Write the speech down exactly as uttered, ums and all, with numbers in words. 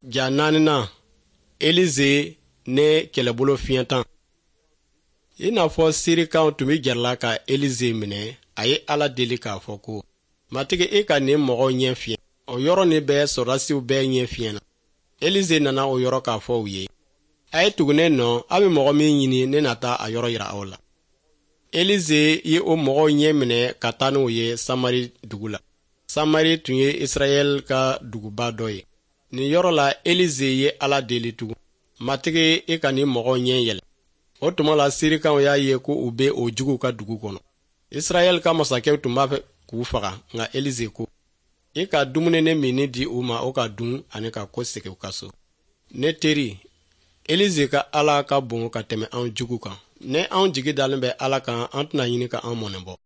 Ja naaninan, Elize ne kɛlɛbolo fiɲɛtan. I n'a fɔ Sirikanw tun bɛ gɛrɛla ka Elize minɛ, a ye Ala deli k'a fɔ ko: "Matigi, e ka nin mɔgɔw ɲɛ fiɲɛ." O yɔrɔ nin bɛɛ, sɔrɔdasiw bɛɛ ɲɛ fiɲɛna. Elize nana o yɔrɔ k'a fɔ u ye: "A ye tugu ne nɔ, a bɛ mɔgɔ min ɲini, ne na taa a yɔrɔ yira aw la." Elize ye o mɔgɔw ɲɛ minɛ ka taa n'u ye Samari dugu la. Samari tun ye Israɛl ka duguba dɔ ye. Nin yɔrɔ la, Elize ye Ala deli tugun: "Matigi, e ka nin mɔgɔw ɲɛ yɛlɛ." O tuma la, Sirikanw y'a ye ko u bɛ o juguw ka dugu kɔnɔ. Israɛl ka masakɛw tun b'a fɛ k'u faga, nka Elize ko: "I ka dumuni ni minni di u ma, o ka dun ani ka kɔsegin u ka so." Ne teri, Elize ka Ala ka bon ka tɛmɛ an jugu kan. Ni anw jigi dalen bɛ Ala kan, an tɛna ɲini ka an mɔnɛ bɔ.